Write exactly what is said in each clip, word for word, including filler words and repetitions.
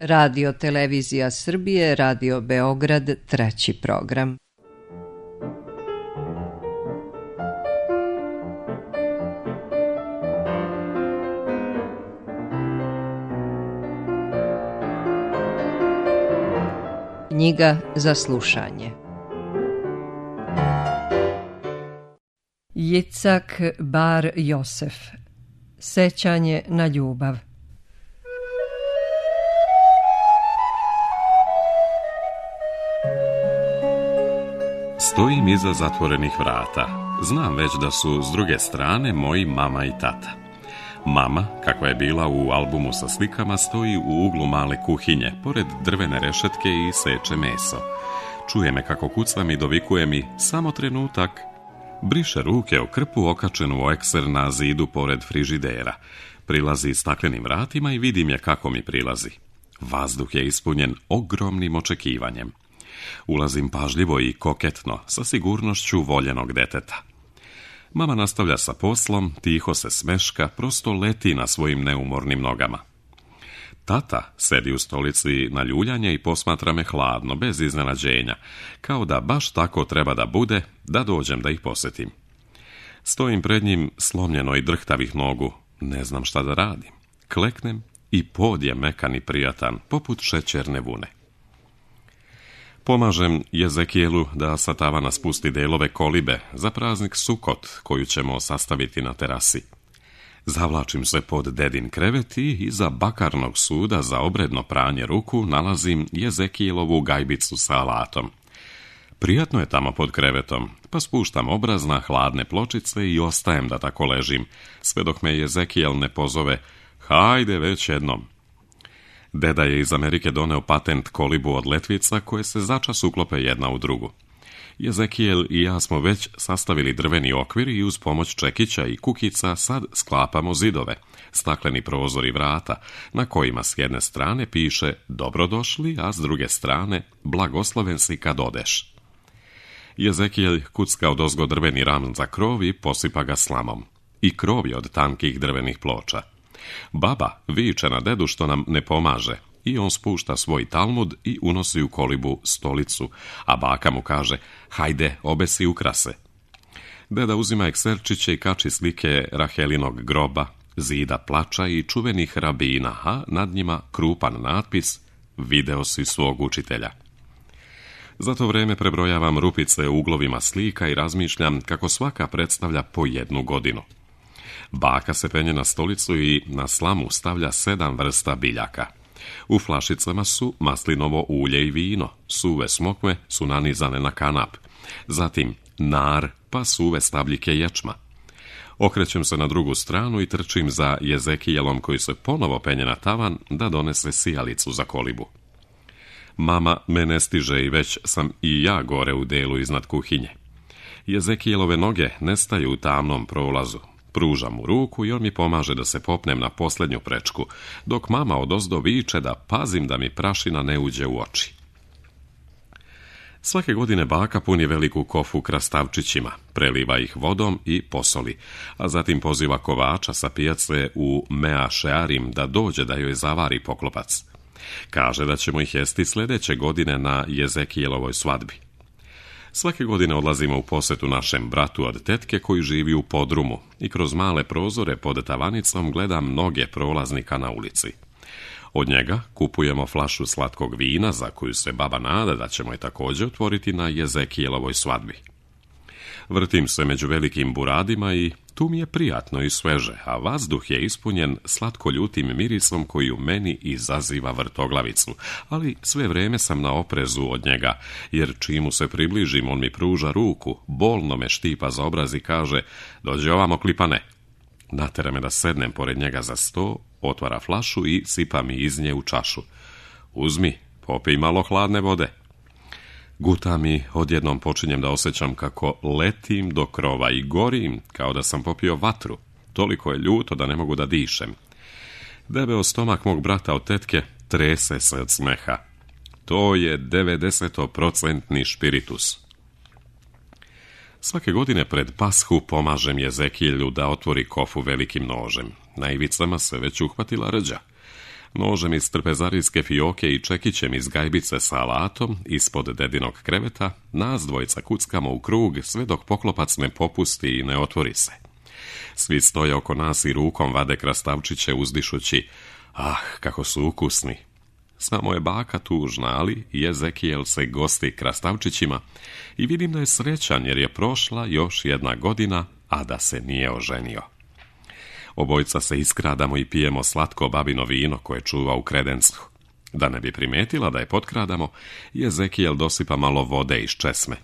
Radio Televizija Srbije, Radio Beograd, treći program. Knjiga za slušanje. Jicak Bar Josef. Sećanje na ljubav. Stojim iza zatvorenih vrata. Znam već da su s druge strane moji mama i tata. Mama, kakva je bila u albumu sa slikama, stoji u uglu male kuhinje, pored drvene rešetke i seče meso. Čuje me kako kucam i dovikuje mi: samo trenutak. Briše ruke o krpu okačenu o ekser na zidu pored frižidera. Prilazi staklenim vratima i vidim je kako mi prilazi. Vazduh je ispunjen ogromnim očekivanjem. Ulazim pažljivo i koketno, sa sigurnošću voljenog deteta. Mama nastavlja sa poslom, tiho se smeška, prosto leti na svojim neumornim nogama. Tata sedi u stolici na ljuljanje i posmatra me hladno, bez iznenađenja, kao da baš tako treba da bude, da dođem da ih posjetim. Stojim pred njim slomljeno i drhtavih nogu, ne znam šta da radim. Kleknem i pod je mekan i prijatan, poput šećerne vune. Pomažem Jezekijelu da sa tavana spusti delove kolibe za praznik Sukot koju ćemo sastaviti na terasi. Zavlačim se pod dedin krevet i iza bakarnog suda za obredno pranje ruku nalazim Jezekijelovu gajbicu sa alatom. Prijatno je tamo pod krevetom, pa spuštam obraz na hladne pločice i ostajem da tako ležim, sve dok me Jezekijel ne pozove: hajde već jednom. Deda je iz Amerike doneo patent kolibu od letvica koje se začas uklope jedna u drugu. Jezekijel i ja smo već sastavili drveni okvir i uz pomoć čekića i kukica sad sklapamo zidove, stakleni prozor i vrata, na kojima s jedne strane piše dobrodošli, a s druge strane blagosloven si kad odeš. Jezekijel kucka odozgo drveni ram za krov i posipa ga slamom. I krov je od tankih drvenih ploča. Baba viče na dedu što nam ne pomaže i on spušta svoj talmud i unosi u kolibu stolicu, a baka mu kaže: hajde, obesi ukrase. Deda uzima ekserčiće i kači slike Rahelinog groba, zida plača i čuvenih rabina, a nad njima krupan natpis: video si svog učitelja. Za to vreme prebrojavam rupice u uglovima slika i razmišljam kako svaka predstavlja po jednu godinu. Baka se penje na stolicu i na slamu stavlja sedam vrsta biljaka. U flašicama su maslinovo ulje i vino, suve smokve su nanizane na kanap, zatim nar, pa suve stabljike ječma. Okrećem se na drugu stranu i trčim za Jezekijelom koji se ponovo penje na tavan da donese sijalicu za kolibu. Mama me ne stiže i već sam i ja gore u delu iznad kuhinje. Jezekijelove noge nestaju u tamnom prolazu. Pružam mu ruku i on mi pomaže da se popnem na posljednju prečku, dok mama odozdo viče da pazim da mi prašina ne uđe u oči. Svake godine baka puni veliku kofu krastavčićima, preliva ih vodom i posoli, a zatim poziva kovača sa pijace u Mea Shearim da dođe da joj zavari poklopac. Kaže da ćemo ih jesti sljedeće godine na Jezekijelovoj svadbi. Svake godine odlazimo u posjetu našem bratu od tetke koji živi u podrumu i kroz male prozore pod tavanicom gledam mnoge prolaznika na ulici. Od njega kupujemo flašu slatkog vina za koju se baba nada da ćemo je također otvoriti na Jezekijelovoj svadbi. Vrtim se među velikim buradima i tu mi je prijatno i sveže, a vazduh je ispunjen slatko-ljutim mirisom koji u meni izaziva vrtoglavicu, ali sve vrijeme sam na oprezu od njega, jer čim mu se približim on mi pruža ruku, bolno me štipa za obraz i kaže: dođi ovamo, klipane. Natera me da sednem pored njega za sto, otvara flašu i sipa mi iz nje u čašu. Uzmi, popij malo hladne vode. Gutam i odjednom počinjem da osjećam kako letim do krova i gorim kao da sam popio vatru. Toliko je ljuto da ne mogu da dišem. Debeo stomak mog brata od tetke trese se od smeha. To je devedesetprocentni špiritus. Svake godine pred Pashu pomažem Jezekijelu da otvori kofu velikim nožem. Na ivicama se već uhvatila rđa. Nožem iz trpezarijske fioke i čekićem iz gajbice sa alatom ispod dedinog kreveta nas dvojica kuckamo u krug sve dok poklopac ne popusti i ne otvori se. Svi stoje oko nas i rukom vade krastavčiće uzdišući: ah, kako su ukusni. Samo je baka tužna, ali Jezekijel se gosti krastavčićima i vidim da je srećan jer je prošla još jedna godina, a da se nije oženio. Obojica se iskradamo i pijemo slatko babino vino koje čuva u kredencu. Da ne bi primetila da je potkradamo, Jezekijel dosipa malo vode iz česme.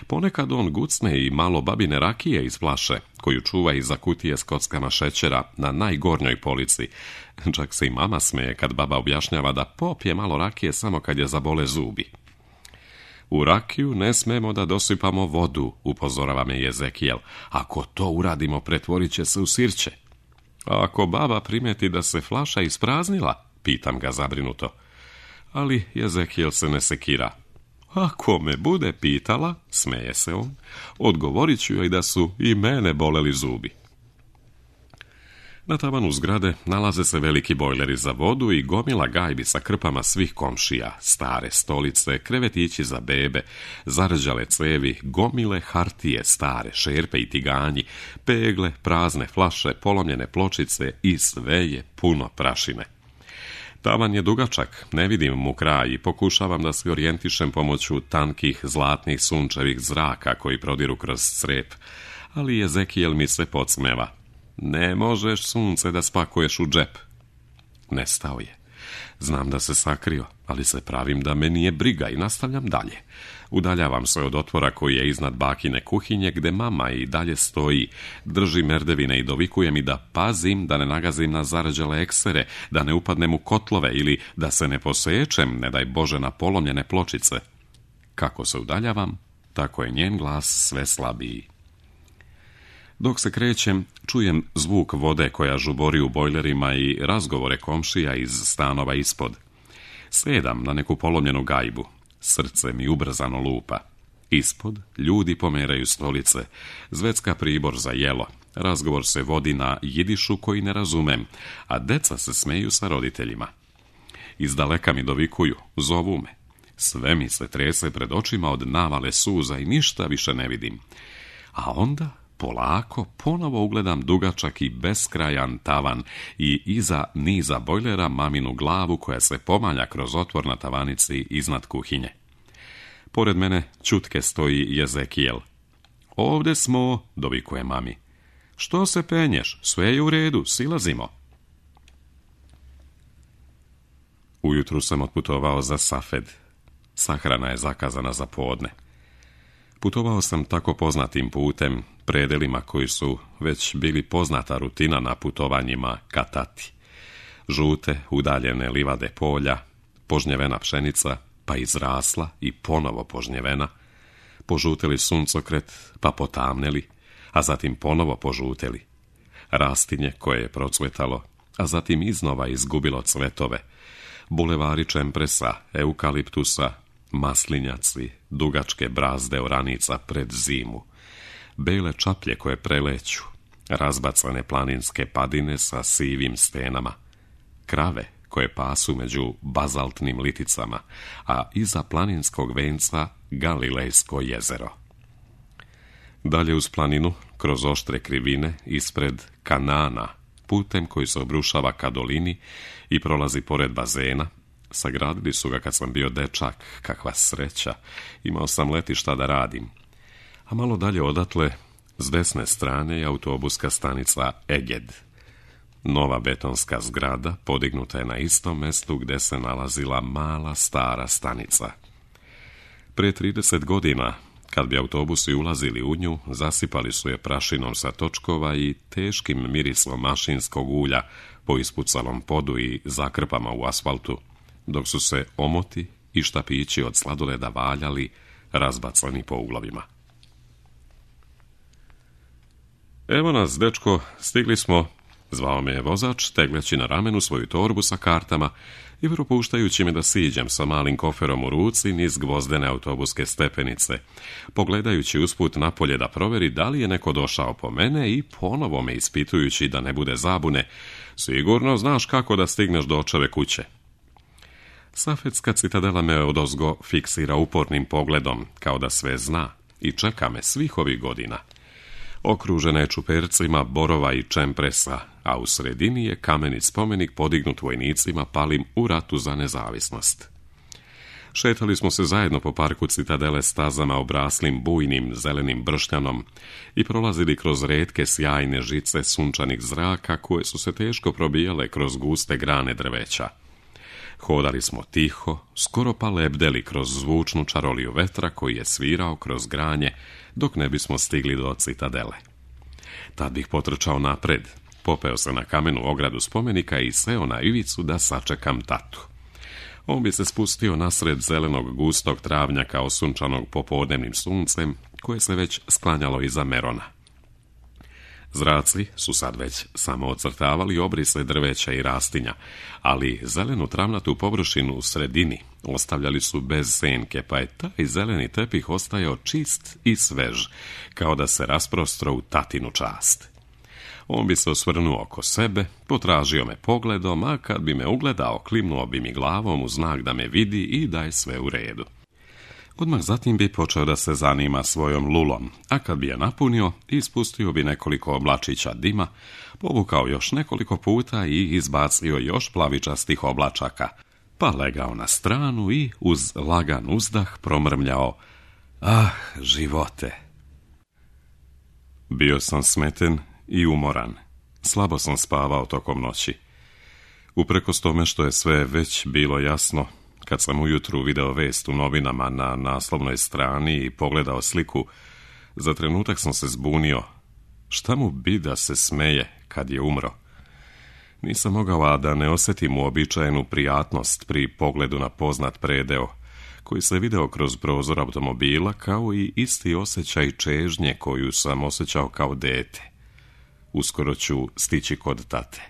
Ponekad on gucne i malo babine rakije iz flaše, koju čuva iza kutije s kockama šećera na najgornjoj polici. Čak se i mama smeje kad baba objašnjava da popije malo rakije samo kad je zabole zubi. U rakiju ne smemo da dosipamo vodu, upozorava me Jezekijel. Ako to uradimo, pretvorit će se u sirće. A ako baba primeti da se flaša ispraznila, pitam ga zabrinuto. Ali Jezekijel se ne sekira. Ako me bude pitala, smeje se on, odgovorit ću joj da su i mene boleli zubi. Na tavanu zgrade nalaze se veliki bojleri za vodu i gomila gajbi sa krpama svih komšija, stare stolice, krevetići za bebe, zarđale cevi, gomile hartije, stare šerpe i tiganji, pegle, prazne flaše, polomljene pločice i sve je puno prašine. Tavan je dugačak, ne vidim mu kraj i pokušavam da se orijentišem pomoću tankih, zlatnih, sunčevih zraka koji prodiru kroz crep, ali Jezekijel mi se podsmeva. Ne možeš, sunce, da spakuješ u džep. Nestao je. Znam da se sakrio, ali se pravim da me nije briga i nastavljam dalje. Udaljavam se od otvora koji je iznad bakine kuhinje, gde mama i dalje stoji, drži merdevine i dovikuje mi da pazim da ne nagazim na zarđale eksere, da ne upadnem u kotlove ili da se ne posečem, ne daj Bože, na polomljene pločice. Kako se udaljavam, tako je njen glas sve slabiji. Dok se krećem, čujem zvuk vode koja žubori u bojlerima i razgovore komšija iz stanova ispod. Sedam na neku polomljenu gajbu. Srce mi ubrzano lupa. Ispod ljudi pomeraju stolice, zvecka pribor za jelo. Razgovor se vodi na jidišu koji ne razumem, a deca se smeju sa roditeljima. Iz daleka mi dovikuju, zovu me. Sve mi se trese pred očima od navale suza i ništa više ne vidim. A onda polako ponovo ugledam dugačak i beskrajan tavan i iza niza bojlera maminu glavu koja se pomalja kroz otvor na tavanici iznad kuhinje. Pored mene ćutke stoji Jezekijel. Ovde smo, dovikuje mami. Što se penješ? Sve je u redu, silazimo. Ujutru sam otputovao za Safed. Sahrana je zakazana za podne. Putovao sam tako poznatim putem, predelima koji su već bili poznata rutina na putovanjima ka tati. Žute, udaljene livade polja, požnjevena pšenica, pa izrasla i ponovo požnjevena, požuteli suncokret, pa potamneli, a zatim ponovo požuteli. Rastinje koje je procvetalo, a zatim iznova izgubilo cvetove, bulevari čempresa, eukaliptusa, maslinjaci, dugačke brazde oranica pred zimu, bele čaplje koje preleću, razbacane planinske padine sa sivim stenama, krave koje pasu među bazaltnim liticama, a iza planinskog venca Galilejsko jezero. Dalje uz planinu, kroz oštre krivine, ispred Kanana, putem koji se obrušava ka dolini i prolazi pored bazena. Sagradili su ga kad sam bio dečak, kakva sreća, imao sam letišta da radim. A malo dalje odatle, s desne strane je autobuska stanica Eged. Nova betonska zgrada podignuta je na istom mestu gde se nalazila mala stara stanica. Pre trideset godina, kad bi autobusi ulazili u nju, zasipali su je prašinom sa točkova i teškim mirisom mašinskog ulja po ispucalom podu i zakrpama u asfaltu, dok su se omoti i štapići od sladoleda valjali, razbacani po uglovima. Evo nas, dečko, stigli smo, zvao me je vozač, tegleći na ramenu svoju torbu sa kartama i propuštajući me da siđem sa malim koferom u ruci niz gvozdene autobuske stepenice, pogledajući usput napolje da proveri da li je neko došao po mene i ponovo me ispitujući da ne bude zabune, Sigurno znaš kako da stigneš do očeve kuće. Safetska citadela me odozgo fiksira upornim pogledom, kao da sve zna, i čeka me svih ovih godina. Okružena je čupercima borova i čempresa, a u sredini je kameni spomenik podignut vojnicima palim u ratu za nezavisnost. Šetali smo se zajedno po parku citadele stazama obraslim bujnim zelenim bršnjanom i prolazili kroz retke sjajne žice sunčanih zraka koje su se teško probijale kroz guste grane drveća. Hodali smo tiho, skoro pa lebdeli kroz zvučnu čaroliju vetra koji je svirao kroz granje dok ne bismo stigli do citadele. Tad bih potrčao napred, popeo se na kamenu ogradu spomenika i seo na ivicu da sačekam tatu. On bi se spustio nasred zelenog gustog travnjaka osunčanog popodnevnim suncem koje se već sklanjalo iza Merona. Zraci su sad već samo ocrtavali obrise drveća i rastinja, ali zelenu travnatu površinu u sredini ostavljali su bez senke, pa je taj zeleni tepih ostajao čist i svež, kao da se rasprostro u tatinu čast. On bi se osvrnuo oko sebe, potražio me pogledom, a kad bi me ugledao, klimnuo bi mi glavom u znak da me vidi i da je sve u redu. Odmah zatim bi počeo da se zanima svojom lulom, a kad bi je napunio, ispustio bi nekoliko oblačića dima, povukao još nekoliko puta i izbacio još plavičastih oblačaka, pa legao na stranu i uz lagan uzdah promrmljao: "Ah, živote!" Bio sam smeten i umoran. Slabo sam spavao tokom noći. Uprkos tome što je sve već bilo jasno, kad sam ujutru video vest u novinama na naslovnoj strani i pogledao sliku, za trenutak sam se zbunio. Šta mu bi da se smeje kad je umro? Nisam mogao a da ne osjetim uobičajenu prijatnost pri pogledu na poznat predeo, koji se video kroz prozor automobila, kao i isti osjećaj čežnje koju sam osjećao kao dete. Uskoro ću stići kod tate.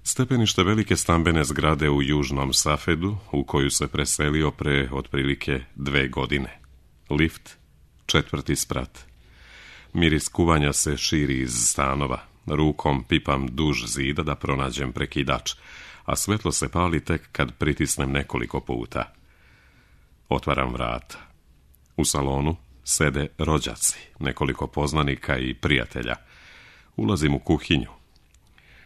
Stepenište velike stambene zgrade u južnom Safedu, u koju se preselio pre otprilike dve godine. Lift, četvrti sprat. Miris kuvanja se širi iz stanova. Rukom pipam duž zida da pronađem prekidač, a svetlo se pali tek kad pritisnem nekoliko puta. Otvaram vrata. U salonu sede rođaci, nekoliko poznanika i prijatelja. Ulazim u kuhinju.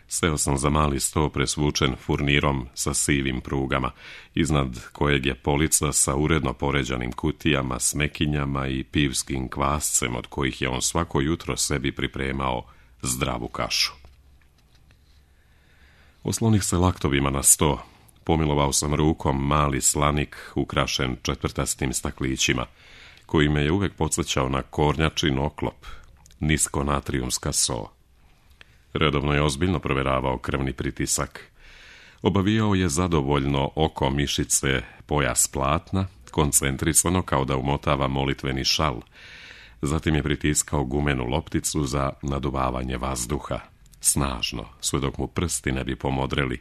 Seo sam za mali sto presvučen furnirom sa sivim prugama, iznad kojeg je polica sa uredno poređanim kutijama, smekinjama i pivskim kvascem, od kojih je on svako jutro sebi pripremao zdravu kašu. Oslonih se laktovima na sto, pomilovao sam rukom mali slanik ukrašen četvrtastim staklićima, koji me je uvek podsjećao na kornjačin oklop, nisko natrijumska so. Redovno je ozbiljno provjeravao krvni pritisak. Obavijao je zadovoljno oko mišice pojas platna, koncentrisano kao da umotava molitveni šal. Zatim je pritiskao gumenu lopticu za naduvavanje vazduha. Snažno, sve dok mu prsti ne bi pomodreli,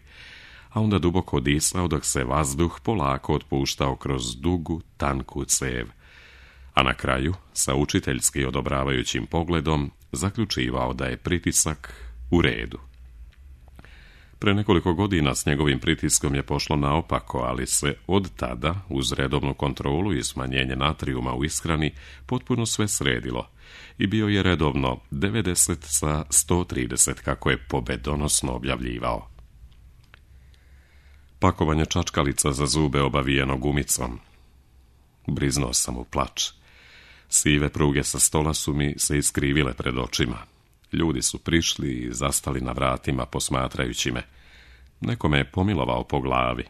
a onda duboko disao dok se vazduh polako otpuštao kroz dugu, tanku cev. A na kraju, sa učiteljski odobravajućim pogledom, zaključivao da je pritisak u redu. Pre nekoliko godina s njegovim pritiskom je pošlo naopako, ali se od tada, uz redovnu kontrolu i smanjenje natrijuma u ishrani, potpuno sve sredilo i bio je redovno devedeset sa sto trideset, kako je pobedonosno objavljivao. Pakovanje čačkalica za zube obavijeno gumicom. Briznuo sam u plač. Sive pruge sa stola su mi se iskrivile pred očima. Ljudi su prišli i zastali na vratima posmatrajući me. Neko me je pomilovao po glavi.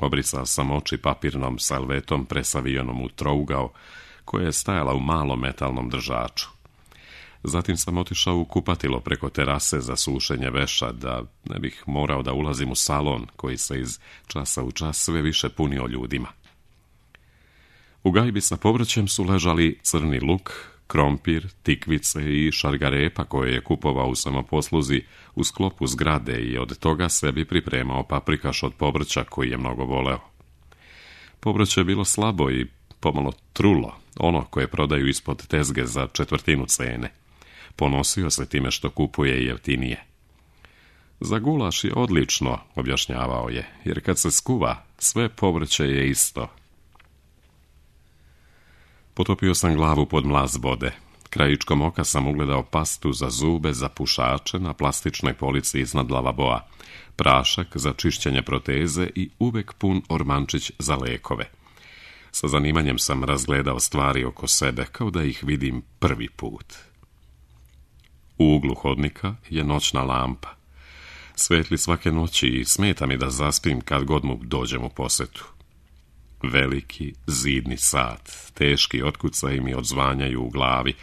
Obrisao sam oči papirnom salvetom presavijenom u trougao, koja je stajala u malom metalnom držaču. Zatim sam otišao u kupatilo preko terase za sušenje veša, da ne bih morao da ulazim u salon koji se iz časa u čas sve više punio ljudima. U gajbi sa povrćem su ležali crni luk, krompir, tikvice i šargarepa koje je kupovao u samoposluzi u sklopu zgrade i od toga sebi pripremao paprikaš od povrća koji je mnogo voleo. Povrće je bilo slabo i pomalo trulo, ono koje prodaju ispod tezge za četvrtinu cene. Ponosio se time što kupuje jeftinije. Za gulaš je odlično, objašnjavao je, jer kad se skuva, sve povrće je isto. Potopio sam glavu pod mlaz vode. Krajičkom oka sam ugledao pastu za zube za pušače na plastičnoj polici iznad lavaboa, prašak za čišćenje proteze i uvek pun ormančić za lekove. Sa zanimanjem sam razgledao stvari oko sebe, kao da ih vidim prvi put. U uglu hodnika je noćna lampa. Svetli svake noći i smeta mi da zaspim kad god mu dođem u posetu. Veliki zidni sat, teški otkucaji mi odzvanjaju u glavi,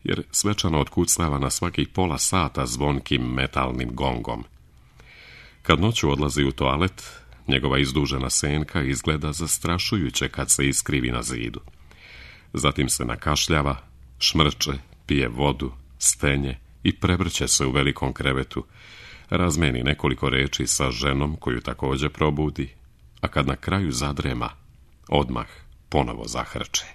jer svečano otkucava na svakih pola sata zvonkim metalnim gongom. Kad noću odlazi u toalet, njegova izdužena senka izgleda zastrašujuće kad se iskrivi na zidu. Zatim se nakašljava, šmrče, pije vodu, stenje i prevrće se u velikom krevetu, razmeni nekoliko reči sa ženom koju također probudi, a kad na kraju zadrema, odmah ponovo zahrče.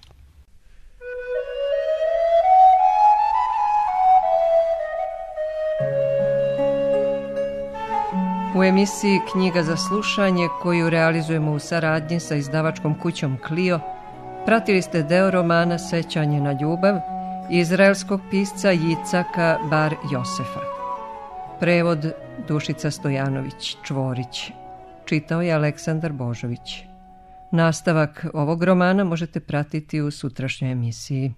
U emisiji Knjiga za slušanje, koju realizujemo u saradnji sa izdavačkom kućom Clio, pratili ste deo romana Sećanje na ljubav izraelskog pisca Jicaka Bar Josefa. Prevod Dušica Stojanović Čvorić. Čitao je Aleksandar Božović. Nastavak ovog romana možete pratiti u sutrašnjoj emisiji.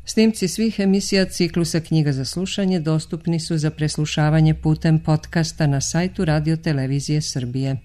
Snimci svih emisija ciklusa Knjiga za slušanje dostupni su za preslušavanje putem podcasta na sajtu Radio Televizije Srbije.